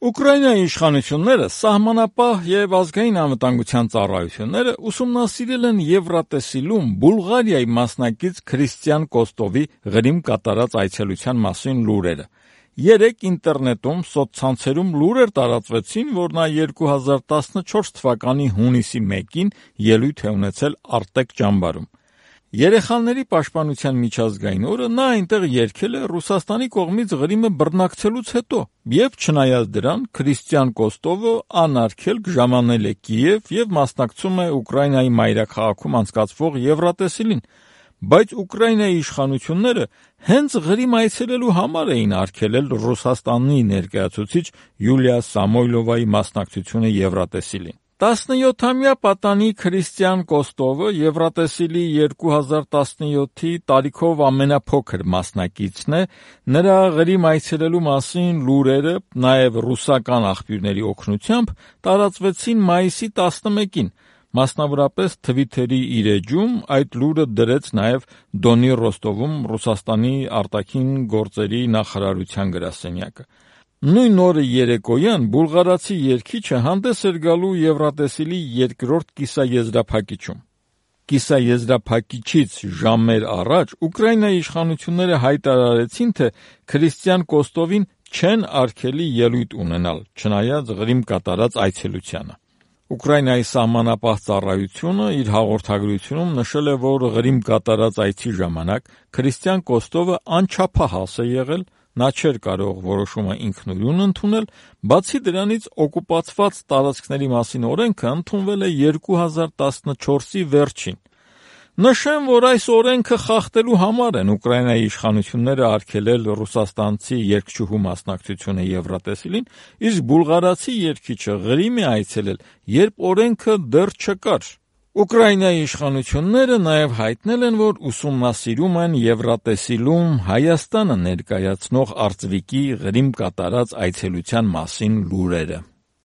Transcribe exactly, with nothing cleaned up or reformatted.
Ուկրաինայի իշխանությունները, սահմանապահ և ազգային անվտանգության ծառայությունները ուսումնասիրել են Եվրատեսիլում Բուլղարիայի մասնակից Քրիստիան Կոստովի Ղրիմ կատարած այցելության մասին լուրերը։ Երեկ ինտերնետում սոցցանցերում լուրեր տարածվեցին, որ նա երկու հազար տասնչորս թվականի հունիսի մեկին ելույթ է ունեցել Արտեկ ճամբարում։ Երեխաների պաշտպանության միջազգային օրը նա այնտեղ երգել է Ռուսաստանի կողմից Ղրիմը բռնակցելուց հետո, և չնայած դրան, Քրիստիան Կոստովը անարգելք ժամանել է Կիև և մասնակցում է Ուկրաինայի մայրաքաղաքում անցկացվող Եվրատեսիլին, բայց Ուկրաինայի իշխանությունները հենց Ղրիմ այցելելու համար էին արգելել Ռուսաստանի ներկայացուցիչ Յուլիա Սամոյլովայի մասնակցությունը Եվրատեսիլին։ տասնյոթամյա պատանի Քրիստիան Կոստովը Եվրատեսիլի երկու հազար տասնյոթի տարիքով ամենափոքր մասնակիցն է, նրա Ղրիմ այցելելու մասին լուրերը, նաև ռուսական աղբյուրների օգնությամբ, տարածվեցին մայիսի տասնմեկին, մասնավորապես Թվիթերի իր էջում այդ լուրը դրեց նաև Դոնի Ռոստովում Ռուսաստանի արտաքին գործերի նախարարության գրասենյակը։ Նույն օրը երեկոյան բուլղարացի երգիչը հանդես էր գալու Եվրատեսիլի երկրորդ կիսաեզրափակիչում։ Կիսաեզրափակիչից ժամեր առաջ Ուկրաինայի իշխանությունները հայտարարեցին, թե Քրիստիան Կոստովին չեն արգելի ելույթ ունենալ, չնայած Ղրիմ կատարած այցելությանը։ Ուկրաինայի սահմանապահ ծառայությունը իր հաղորդագրությունում նշել է, որ Ղրիմ կատարած այցի ժամանակ Քրիստիան Կոստովը անչափահաս է եղել, նա չէր կարող որոշումը ինքնուրույն ընդունել, բացի դրանից օկուպացված տարածքների մասին օրենքը ընդունվել է երկու հազար տասնչորսի վերջին։ Նշեմ, որ այս օրենքը խախտելու համար են Ուկրաինայի իշխանությունները արգելել ռուսաստանցի երգչուհու մասնակցությունը Եվրատեսիլին, իսկ բուլղարացի երգիչը Ղրիմ է այցելել, երբ օրենքը դեռ չկար։ Ուկրաինայի իշխանությունները նաև հայտնել են, որ ուսումնասիրում են Եվրատեսիլում Հայաստանը ներկայացնող արծվիկի Ղրիմ կատարած այցելության մասին լուրերը։